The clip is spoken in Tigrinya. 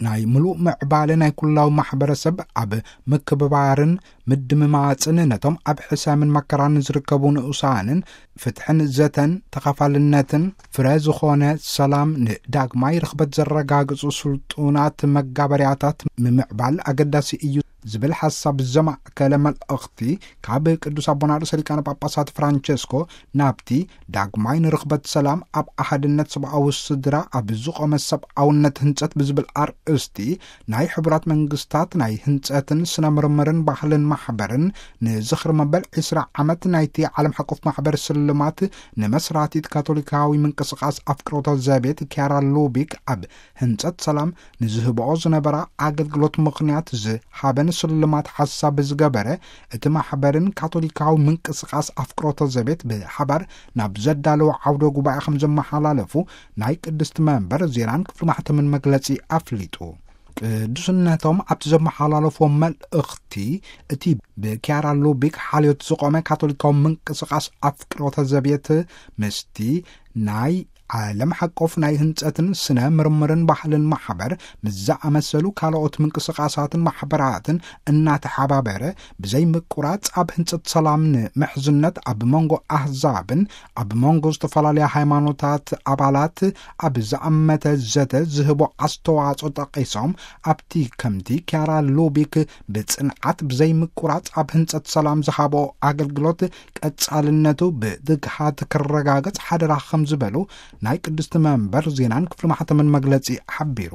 ናይ ምሉእ ምዕባለ ናይ ኩላዊ ማሕበረሰብ ኣብ ምክብባርን ምድምማጽን፣ ነቶም ኣብ ሕሰምን መከራን ዝርከቡ ንኡሳንን ፍትሕን ዘተን ተኻፋልነትን ፍረ ዝኾነ ሰላም ንዳግማይ ርኽበት ዘረጋግጹ ስልጡናት መጋበርያታት ምምዕባል ኣገዳሲ እዩ ዝብል ሓሳብ ዘማእከለ መልእኽቲ ካብ ቅዱስ ኣቦና ርእሰ ሊቃነ ጳጳሳት ፍራንቸስኮ ናብቲ ዳግማይ ንርኽበት ሰላም ኣብ ኣሃድነት ሰብኣዊ ስድራ ኣብ ዝቖመ ሰብኣውነት ህንጸት ብዝብል ኣርእስቲ ናይ ሕቡራት መንግስታት ናይ ህንጸትን ስነ ምርምርን ባህልን ማሕበርን ንዝኽሪ መበል ዕስራ ዓመት ናይቲ ዓለም ሓቆፍ ማሕበር ስልማት ንመስራቲት ካቶሊካዊ ምንቅስቃስ ኣፍቅሮተ ዘቤት ኪያራ ሉቢክ ኣብ ህንጸት ሰላም ንዝህብኦ ዝነበራ ኣገልግሎት ምኽንያት ዝሃበን ስልማት ሓሳብ ዝገበረ፣ እቲ ማሕበርን ካቶሊካዊ ምንቅስቃስ ኣፍቅሮተ ዘቤት ብሓባር ናብ ዘዳለዎ ዓውደ ጉባኤ ከም ዘመሓላለፉ ናይ ቅድስቲ መንበር ዜናን ክፍሊ ማሕተምን መግለጺ ኣፍሊጡ። ቅዱስነቶም ኣብቲ ዘመሓላለፎ መልእኽቲ፣ እቲ ብኪያራ ሉቢክ ሓልዮት ዝቖመ ካቶሊካዊ ምንቅስቃስ ኣፍቅሮተ ዘቤት ምስቲ ናይ ዓለም ሓቆፍ ናይ ህንጸትን ስነ ምርምርን ባህልን ማሕበር ምስ ዝኣመሰሉ ካልኦት ምንቅስቃሳትን ማሕበራትን እናተሓባበረ፣ ብዘይ ምቁራጽ ኣብ ህንጸት ሰላም ንምሕዝነት ኣብ መንጎ ኣህዛብን ኣብ መንጎ ዝተፈላለያ ሃይማኖታት ኣባላት ኣብ ዝኣመተ ዘተ ዝህቦ ኣስተዋጽኦ ጠቒሶም፣ ኣብቲ ከምቲ ኪያራ ሉቢክ ብጽንዓት ብዘይ ምቁራጽ ኣብ ህንጸት ሰላም ዝሃቦ ኣገልግሎት ቀጻልነቱ ብትግሃት ክረጋገጽ ሓደራ ከም ዝበሉ ናይ ቅድስቲ መንበር ዜናን ክፍሊ ማሕተምን መግለጺ ሓቢሩ።